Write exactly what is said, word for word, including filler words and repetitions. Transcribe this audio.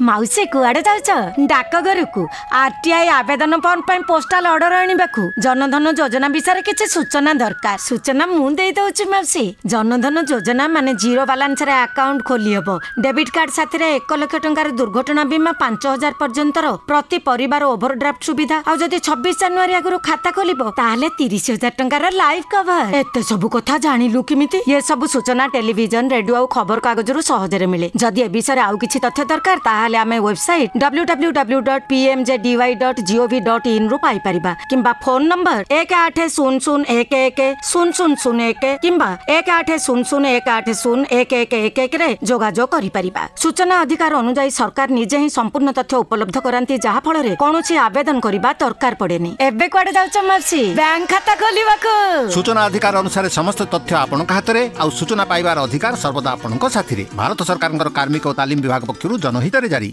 ମାଉସୀ କୁଆଡ଼େ ଯାଉଛ ଡାକଘରକୁ ଆରଟିଆଇ ଆବେଦନ ଫର୍ମ ପାଇଁ ପୋଷ୍ଟାଲ ଅର୍ଡର ଆଣିବାକୁ ଜନଧନ ଯୋଜନା ବିଷୟରେ କିଛି ସୂଚନା ଦରକାର ସୂଚନା ମୁଁ ଦେଇ ଦଉଛି ମାଉସୀ ଜନଧନ ଯୋଜନା ମାନେ ଜିରୋ ବାଲାନ୍ସରେ ଆକାଉଣ୍ଟ ଖୋଲି ହେବ ଡେବିଟ୍ କାର୍ଡ ସାଥିରେ ଏକ ଲକ୍ଷ ଟଙ୍କାର ଦୁର୍ଘଟଣା ବୀମା ପାଞ୍ଚ ହଜାର ପର୍ଯ୍ୟନ୍ତର ପ୍ରତି ପରିବାର ଓଭରଡ୍ରାଫ୍ଟ ସୁବିଧା ଆଉ ଯଦି ଛବିଶ ଜାନୁଆରୀ ଆଗରୁ ଖାତା ଖୋଲିବ ତାହେଲେ ତିରିଶ ହଜାର ଟଙ୍କାର ଲାଇଫ କଭର ଏତେ ସବୁ କଥା ଜାଣିଲୁ କେମିତି ଏ ସବୁ ସୂଚନା ଟେଲିଭିଜନ ରେଡିଓ ଆଉ ଖବର କାଗଜରୁ ସହଜରେ ମିଳେ ଯଦି ଏ ବିଷୟରେ ଆଉ କିଛି ତଥ୍ୟ ଦରକାର ତାହେଲେ ଆମେ website W W W dot P M J D Y dot GOV dot in ରୁ ପାଇପାରିବା କିମ୍ବା ଫୋନ ନମ୍ବର ଏକ ଆଠ ଶୂନ ଶୂନ ଏକ ଏକ ଶୂନ ଶୂନ ଶୂନ ଏକ କିମ୍ବା ଏକ ଆଠ ଶୂନ ଶୂନ ଏକ ଆଠ ଶୂନ ଏକ ଏକ ଏକ ଏକରେ ଯୋଗାଯୋଗ କରିପାରିବା ସୂଚନା ଅଧିକାର ଅନୁଯାୟୀ ସରକାର ନିଜେ ହିଁ ସମ୍ପୂର୍ଣ୍ଣ ତଥ୍ୟ ଉପଲବ୍ଧ କରାନ୍ତି ଯାହା ଫଳରେ କୌଣସି ଆବେଦନ କରିବା ଦରକାର ପଡେନି ଏବେ କୁଆଡେ ଯାଉଛ ମାଉସୀ ବ୍ୟାଙ୍କ ଖାତା ଖୋଲିବାକୁ ସୂଚନା ଅଧିକାର ଅନୁସାରେ ସମସ୍ତ ତଥ୍ୟ ଆପଣଙ୍କ ହାତରେ ଆଉ ସୂଚନା ପାଇବାର ଅଧିକାର ସର୍ବଦା ଆପଣଙ୍କ ସାଥିରେ ଭାରତ ସରକାରଙ୍କର କାର୍ମିକ ଓ ତାଲିମ ବିଭାଗ ପକ୍ଷରୁ ଜନହିତରେ ଜାରି